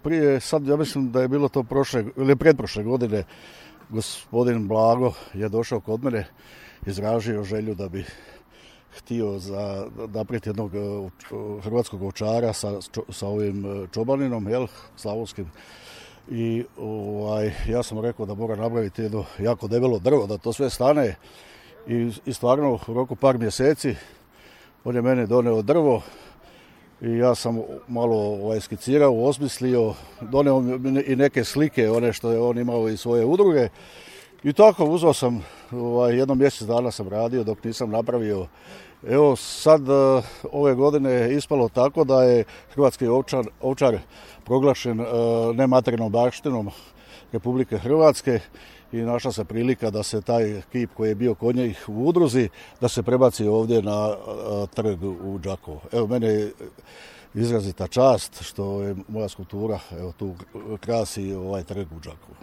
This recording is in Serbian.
prije, sad ja mislim da je bilo to prošle ili pretprošle godine, gospodin Blago je došao kod mene, izražio želju da bi htio napraviti jednog hrvatskog ovčara sa ovim čobaninom, slavonskim. I ja sam rekao da mora napraviti jedno jako debelo drvo, da to sve stane. I stvarno u roku par mjeseci on je meni doneo drvo i ja sam malo skicirao, osmislio, doneo i neke slike, one što je on imao iz svoje udruge. I tako uzeo sam, jedno mjesec dana sam radio dok nisam napravio. Evo sad ove godine je ispalo tako da je hrvatski ovčar proglašen nematerijalnom baštinom Republike Hrvatske i našla se prilika da se taj kip koji je bio kod njih u udruzi, da se prebaci ovdje na trg u Đakovo. Evo, mene je izrazita čast što je moja skulptura tu krasi ovaj trg u Đakovu.